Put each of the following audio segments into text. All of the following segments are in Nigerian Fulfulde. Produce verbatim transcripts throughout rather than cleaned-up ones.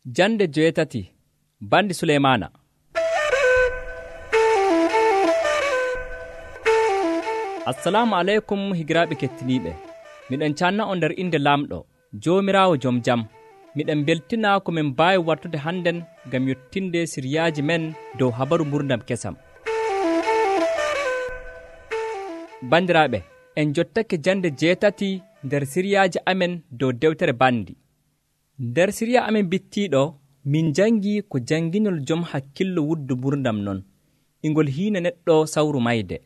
Jande joweetati bandi Suleymaana. Assalamu aleykum higiraaɓe kettiniiɓe. Miɗen canna on nder inde Laamɗo, Joomiraawo jom jam. Miɗen beltina ko min mbaawi wartude hannden ngam yottinde siryaaji men dow habaru ngurdam kesam. Bandiraaɓe, en jottake jande jeetati nder siryaaji amen dow dewtere bandi. Nder sirya amen bittiiɗo, min jangi ko janginol jom hakkillo wuddu ngurdam non, ingol hiina neɗɗo sawru mayde.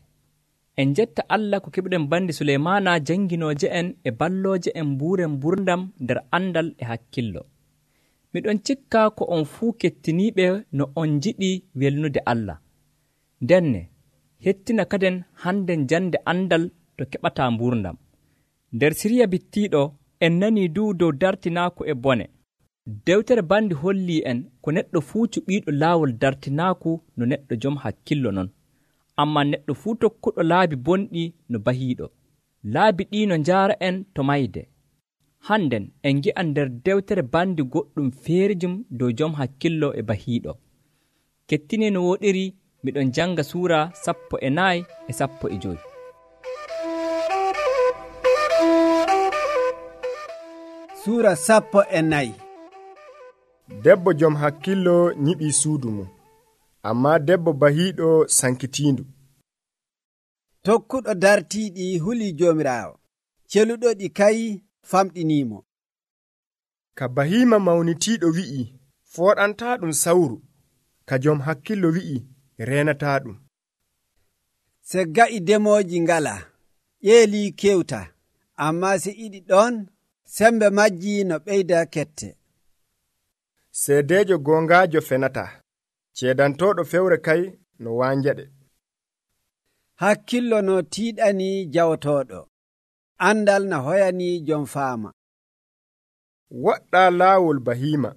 En jetta Allah ko keɓuɗen bandi Suleymaana janginooje en e ballooje en mbuuren ngurdam nder andal e hakkillo. Miɗon cikka ko on fuu kettiniiɓe no on njiɗi welnude Allah. Ndenne, hettina kaden hannden jande andal to keɓataa ngurdam. Nder sirya bittiiɗo, en nanii duu dow dartinaaku e bone. Dewtere bandi hollii en ko neɗɗo fuu cuɓiiɗo laawol dartinaaku no neɗɗo jom hakkillo non. Ammaa neɗɗo fuu tokkuɗo laabi bonɗi no bahiiɗo. Laabi ɗii no njaara en to mayde. Hannden en ngi'a nder dewtere bandi goɗɗum feerijum dow jom hakkillo e bahiiɗo. Kettinee no wooɗiri, miɗon janga suura sappo e nayi e sappo e joyi. Suura sappo e nayi. Debbo jom hakkillo nyiɓii suudu mum, ammaa debbo bahiiɗo sankitiindu. Tokkuɗo dartiiɗi hulii Joomiraawo, celuɗo ɗi kay famɗiniimo. Ka bahiima mawnitiiɗo wi'i, fooɗantaa ɗum sawru, ka jom hakkillo wi'i, reenataa ɗum. Se ga'i demooji ngalaa, ƴeelii kewta, ammaa se iɗi ɗon, sembe majji no ɓeyda kette. Seedeejo goongaajo fenataa, ceedantooɗo fewre kay no waanjaɗe. Hakkillo no tiiɗanii jawtooɗo, andal no hoyanii jom faama. Woɗɗaa laawol bahiima,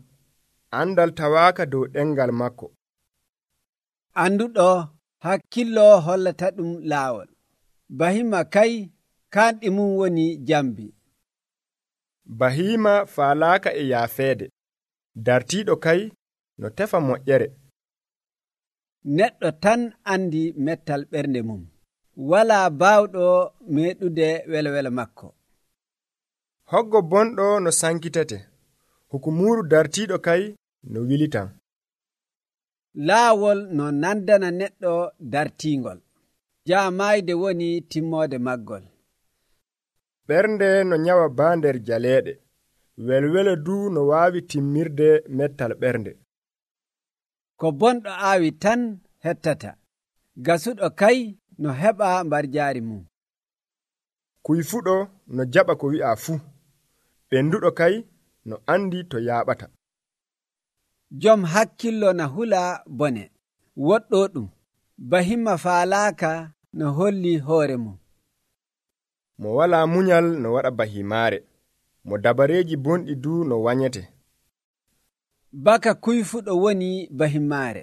andal tawaaka dow ɗengal makko. Anduɗo hakkillo hollata ɗum laawol, bahiima kay kanɗi mum woni jambi. Bahiima faalaaka e yaafeede, dartiiɗo kay no tefa moƴƴere. Neɗɗo tan andi mettal ɓernde mum, walaa baawɗo meeɗude welwele makko. Hoggo bonɗo no sankitete, hukumuuru dartiiɗo kay no wilitan. Laawol no nandana neɗɗo dartiingol, jaamayde woni timmoode maggol. Ɓernde no nyawa baa nder jaleeɗe, welwele duu no waawi timmirde mettal ɓernde. Ko bonɗo aawi tan hettata, gasuɗo kay no heɓa mbarjaari mum. Kuyfuɗo no jaɓa ko wi'a fuu, ɓenduɗo kay no andi to yaaɓata. Jom hakkillo na hula bone, woɗɗo ɗum, bahiima faalaaka no holli hoore mum. Mo walaa munyal no waɗa bahiimaare, mo dabareeji bonɗi duu no wanyete. Baka kuyfuɗo woni bahimaare,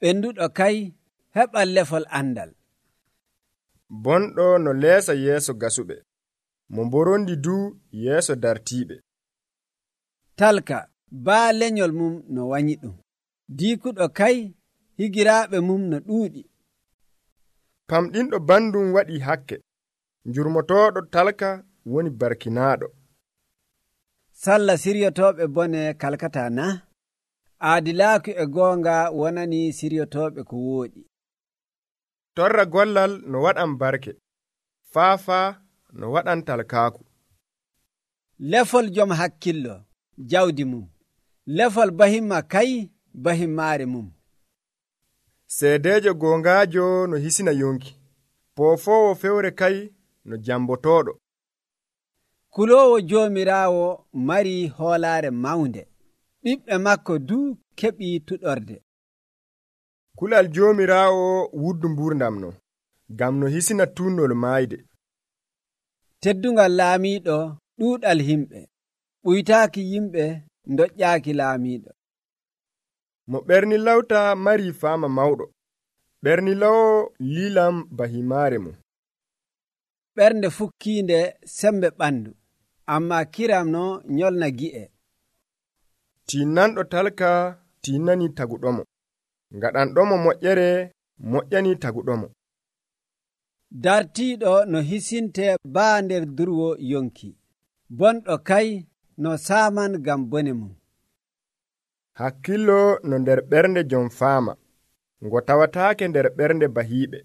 ɓenduɗo kay heɓal lefol andal. Bonɗo no leesa yeeso gasuɓe, mo mborondi duu yeeso dartiiɓe. Talka baa lenyol mum no wanyi ɗum, diikuɗo kay higiraaɓe mum no ɗuuɗi. Pamɗinɗo bandum waɗi hakke, njurmotooɗo talka woni barkinaaɗo. Salla siryotooɓe bone kalkata na? Aadilaaku e goonga wonani siryotooɓe ko wooɗi. Torra gollal no waɗan barke, faafaa no waɗan talkaaku. Lefol jom hakkillo, jawdi mum. Lefol bahiima kay bahimaare mum. Seedeejo goongaajo no hisina yonki, poofoowo fewre kay no jambotooɗo. Kuloowo Joomiraawo mari hoolaare mawnde, ɓiɓɓe makko duu keɓii tuɗorde. Kulal Joomiraawo wuddu ngurdam no, ngam no hisina tuunnol maayde. Teddungal laamiiɗo ɗuuɗal himɓe, ɓuytaaki yimɓe ndoƴƴaaki laamiiɗo. Mo ɓernilawta mari faama mawɗo, ɓernilawo liilam bahimaare mum. Ɓernde fukkiinde sembe ɓandu, amma kiram no nyolna gi'e. tinnanɗo talka tinnani taguɗomo, ngaɗanɗomo moƴƴere moƴƴani taguɗomo. dartiiɗo no hisinte baa nder durwo yonki, bonɗo kay no saaman ngam bone mum. Hakkillo no nder ɓernde jom faama, ngo tawataake nder ɓernde bahiiɓe.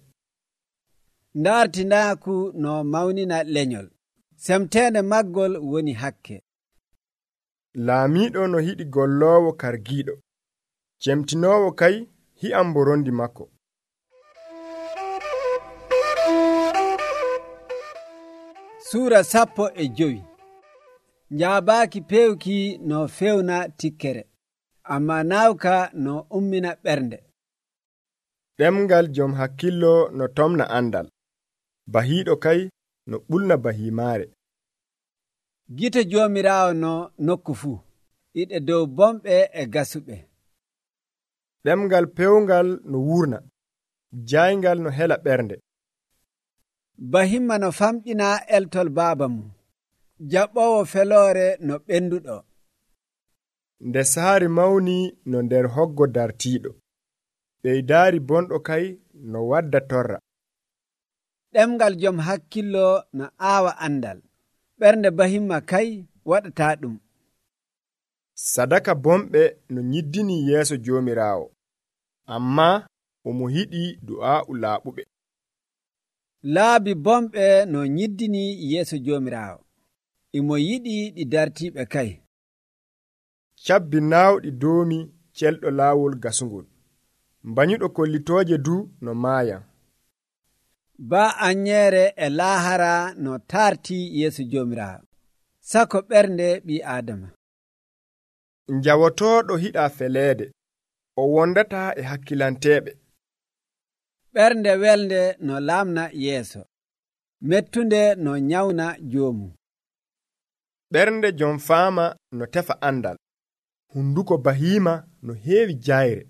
Ndaartinaaku no mawnina lenyol, semteende maggol woni hakke. Laamiiɗo no hiɗi golloowo kargiiɗo, cemtinoowo kay hi'an mborondi makko. Suura sappo e jowi. Njaabaaki pewki no fewna tikkere, amma naawka no ummina ɓernde. Ɗemngal jom hakkillo no tomna andal, bahiiɗo kay no ɓulna bahiimaare. Gite Joomiraawo no nokku fuu, iɗe dow bomɓe e gasuɓe. Ɗemngal pewngal no wurna, jayngal no hela ɓernde. Bahimma no famɗina eltol baaba mum, jaɓɓowo feloore no ɓenduɗo. Nde saari mawni no nder hoggo dartiiɗo, ɓeydaari bonɗo kay no wadda torra. Ɗemngal jom hakkillo no aawa andal, ɓernde bahimma kay waɗataa ɗum. Sadaka bomɓe no nyiddini yeeso Joomiraawo, ammaa omo hiɗi du'aa'u laaɓuɓe. Laabi bomɓe no nyiddini yeeso Joomiraawo, imo yiɗi ɗi dartiiɓe kay. Cabbi naawɗi doomi celɗo laawol gasungol, mbanyuɗo kollitooje du no maayan. Baa anyeere e laahara no taartii yeeso Joomiraawo, sako ɓernde ɓii Aadama. Njawotooɗo hiɗaa feleede, o wondataa e hakkilanteeɓe. Ɓernde welde no laamna yeeso, mettunde no nyawna joomum. Ɓernde jom faama no tefa andal, hunduko bahiima no heewi jayre.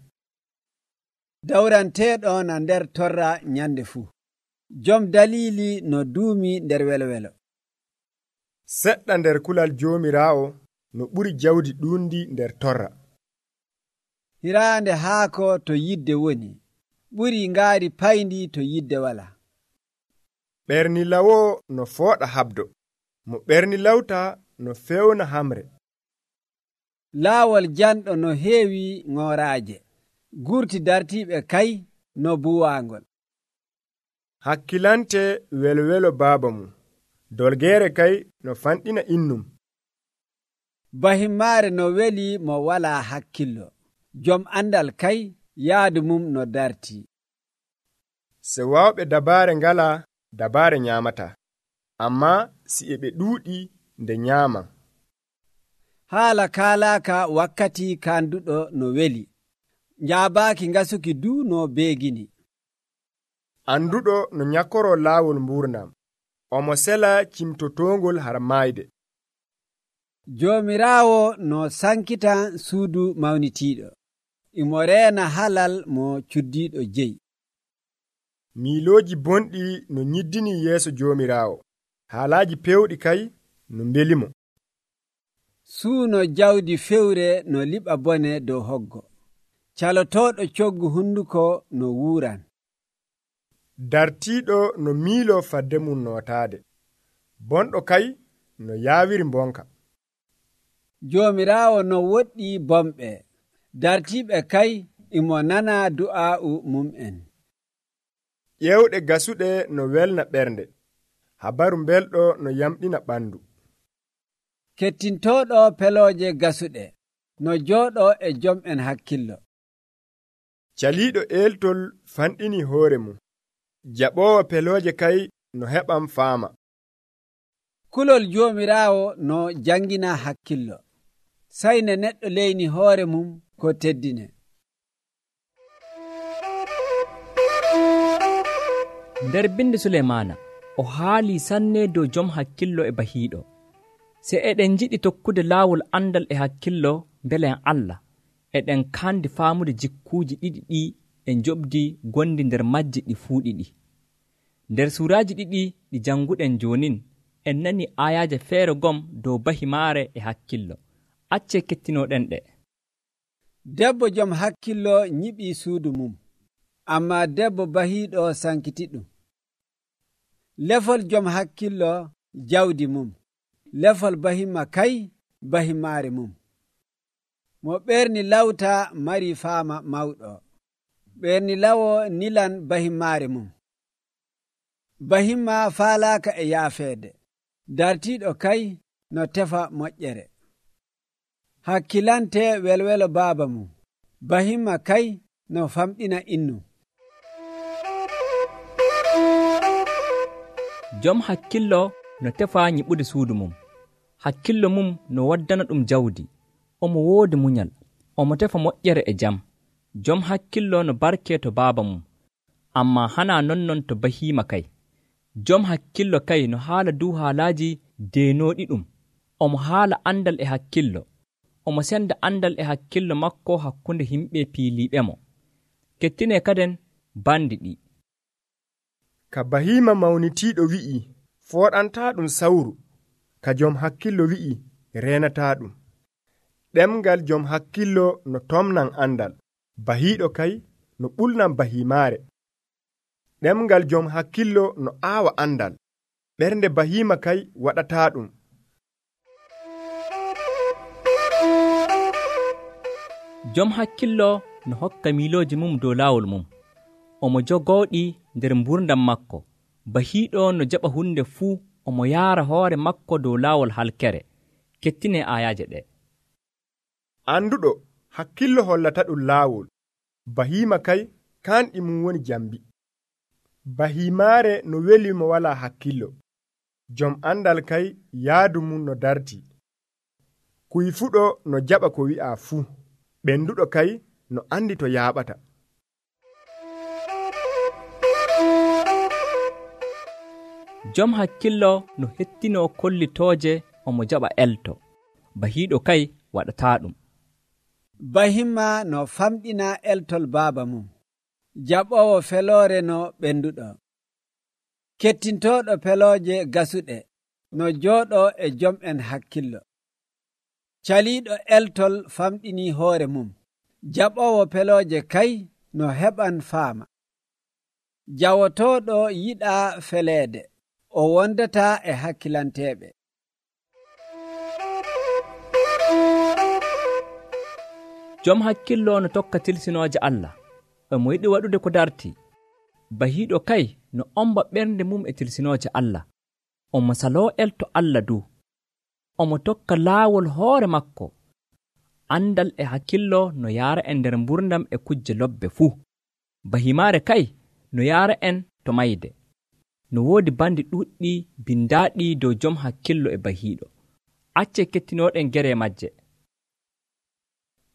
Dawranteeɗo na nder torra nyande fuu, jom daliili no duumi nder welwelo. Seɗɗa nder kulal Joomiraawo no ɓuri jawdi ɗuundi nder torra. Hiraande haako to yidde woni, ɓuri ngaari payndi to yidde wala. Ɓernilawo no fooɗa habdo, mo ɓernilawta no fewna hamre. Laawol janɗo no heewi ŋooraaje, gurti dartiiɓe kay no buwaangol. Hakkilante welwelo baaba mum, dolgeere kay no fanɗina innum. Bahimmaare no weli mo walaa hakkillo, jom andal kay yaadu mum no dartii. Se waawɓe dabaare ngalaa, dabaare nyaamata, ammaa si e ɓe ɗuuɗi nde nyaaman. Haala kaalaaka wakkati kaanduɗo no weli, njaabaaki ngasuki du no beegini. Anduɗo no nyakkoro laawol mbuurnam, omo sela cimtotoongol har maayde. Joomiraawo no sankita suudu mawnitiiɗo, imo reena halal mo cuddiiɗo jeyi. Miilooji bonɗi no nyiddini yeeso Joomiraawo, haalaaji pewɗi kay no mbelimo. Suuno jawdi fewre no liɓa bone dow hoggo, calotooɗo coggu hunduko no wuuran. Dartiiɗo no miiloo fadde mum nootaade, bonɗo kay no yaawiri mbonka. Joomiraawo no woɗɗi bomɓe, dartiiɓe kay imo nana du'aa'u mum'en. Ƴewɗe gasuɗe no welna ɓernde, habaru belɗo no yamɗina ɓandu. Kettintooɗo pelooje gasuɗe no jooɗo e jom'en hakkillo. Caliiɗo eeltol fanɗini hoore mum, jaɓoowo pelooje kay no heɓam faama. Kulol Joomiraawo no jangina hakkillo, sayne neɗɗo leyni hoore mum ko teddine. Nder bindi Suleymaana o haali sanne dow jom hakkillo e bahiiɗo. Se eɗen jiɗi tokkude laawol andal e hakkillo mbelen Allah, eɗen kandi faamude jikkuuji ɗiɗi ɗi en joɓdi gondi nder majji ɗi fuu ɗiɗi. Nder suuraaji ɗiɗi ɗi janguɗen jonin, en nani ayaaje feere gom dow bahimaare e hakkillo. Acce kettinoɗen ɗe. debbo jom hakkillo nyiɓii suudu mum, ammaa debbo bahiiɗo sankitiɗum. Lefol jom hakkillo jawdi mum, lefol bahima kay bahimaare mum. Mo ɓerni lawta mari faama mawɗo, ɓerni lawo nilan bahimaare mum. Bahima faalaaka e yaafeede, dartiiɗo kay no tefa moƴƴere. Hakkilante welwelo baaba mum, bahima kay no famɗina innu. Jom hakkillo no tefa nyiɓude suudu mum, hakkillo mum no waddana ɗum jawdi, omo woodi munyal, omo tefa moƴƴere e jam. Jom hakkillo no barke to baaba mum, ammaa hana nonnon to bahima kay. Jom hakkillo kay no haala dow haalaaji deenooɗi ɗum, omo haala andal e hakkillo, omo senda andal e hakkillo makko hakkunde himɓe piiliiɓemo. Kettine kaden bandi ɗi. Ka bahima mawnitiiɗo wi'i, fooɗantaa ɗum sawru, ka jom hakkillo wi'i, reenataa ɗum. Ɗemngal jom hakkillo no tomnan andal, bahiiɗo kay no ɓulnan bahimaare. Ɗemngal jom hakkillo no aawa andal, ɓernde bahima kay waɗataa ɗum. Jom hakkillo no hokka miilooji mum dow laawol mum, omo jogooɗi nder mburdam makko. Bahiiɗo no jaɓa hunde fuu, omo yaara hoore makko dow laawol halkere. Kettine aayaaje ɗe. Anduɗo hakkillo hollata ɗum laawol, bahima kay kanɗi mum woni jambi. Bahimaare no weli mo wala hakkillo, jom andal kay yaadu mum no darti. Kuyfuɗo no jaɓa ko wi'a fuu, ɓenduɗo kay no andi to yaaɓata. Jom hakkillo no hettinoo kollitooje, omo jaɓa elto, bahiiɗo kay waɗataa ɗum. Bahima no famɗina eltol baaba mum, jaɓowo feloore no ɓenduɗo. Kettintooɗo pelooje gasuɗe no jooɗo e jom en hakkillo. Caliiɗo eltol famɗini hoore mum, jaɓowo pelooje kay no heɓan faama. Jawotooɗo yiɗaa feleede, o wondataa e hakkilanteeɓe. Jom hakkillo no tokka tilsinooje Allah, omo yiɗi waɗude ko darti. Bahiiɗo kay no omba ɓernde mum e tilsinooje Allah, omo saloo elto Allah du, omo tokka laawol hoore makko. Andal e hakkillo no yaara en nder mburdam e kujje lobbe fuu. Bahimaare kay no yaara en to mayde. No woodi bandi ɗuuɗɗi bindaaɗi dow jom hakkillo e bahiiɗo. Acce kettinooɗen gere majje.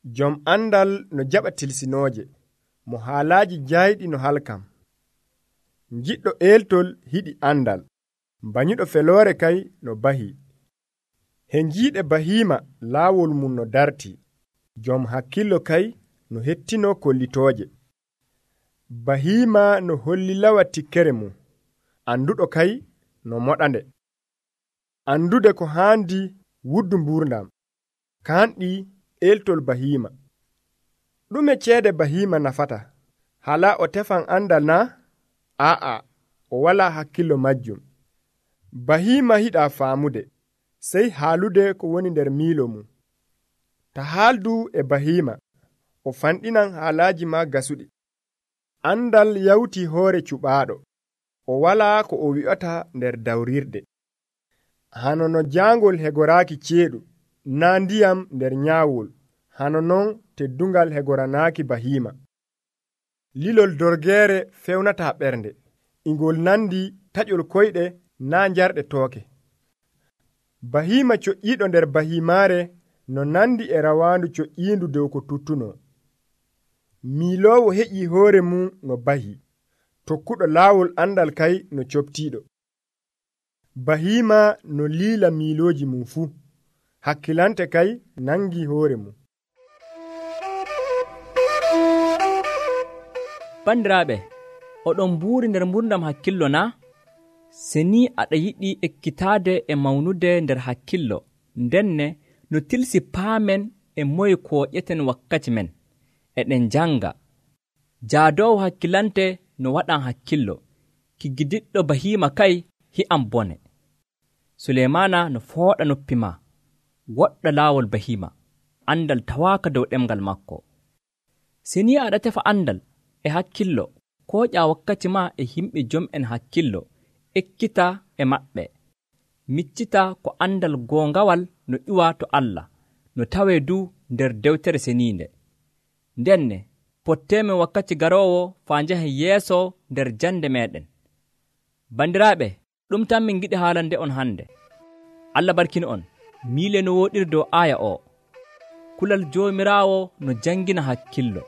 Jom andal no jaɓa tilsinooje, mo haalaaji jaayɗi no halkam. Jiɗɗo eeltol hiɗi andal, bañuɗo feloore kay no bahi. He njiiɗe bahima laawol mum no darti, jom hakkillo kay no hettinoo kollitooje. Bahima no holli lawa tikkere mum, anduɗo kay no moɗande. Andude ko haandi wuddu mburdam, kanɗi eeltol bahima. Ɗume ceede bahima nafata? Hala o tefan andal na? Aa, o wala hakkillo majjum. Bahima hiɗa faamude, sey haalude ko woni nder miilo mum. Ta haaldu e bahima, o fanɗinan haalaaji ma gasuɗi. Andal yawti hoore cuɓaaɗo, o wala ko o wi'ata nder dawrirde. Hano no jaangol hegoraaki ceeɗu, naa ndiyam nder nyaawol, hano non teddungal hegoranaaki bahima. Lilol dorgeere fewnata ɓernde, ingol nandi taƴol koyɗe naa njarɗe tooke. Bahima coƴƴiiɗo nder bahimaare no nandi e rawaandu coƴƴiindu dow ko tuttunoo. Miiloowo heƴii hoore mum no bahi, tokkuɗo laawol andal kay no coptiiɗo. Bahima no liila miilooji mum fuu, hakkilante kay nangi hoore mum. Bandiraaɓe, oɗon mbuuri nder mburdam hakkillo na? Se ni aɗa yiɗi ekkitaade e mawnude nder hakkillo, ndenne no tilsi paamen e moye kooƴeten wakkati men, e ɗen janga. Jaadowo hakkilante no waɗan hakkillo, ki gidiɗɗo bahima kay hi'an bone. Suleymana no fooɗa noppi ma, woɗɗa laawol bahima, andal tawaaka dow ɗemgal makko. Sini aɗa tefa andal e hakkillo, ko ƴa wakkati ma e himɓe jom'en hakkillo, ekkita e maɓɓe. Miccita ko andal goongawal no ƴuwa to Allah, no tawee du nder dewtere seniinde. Ndenne potteemen wakkati garoowo faa njahen yeeso nder jande meɗen. Bandiraaɓe, ɗum tan min giɗi haalande on hande. Allah barkina on. Miile no wooɗiri dow aaya o. Kulal Joomiraawo no jangina hakkillo.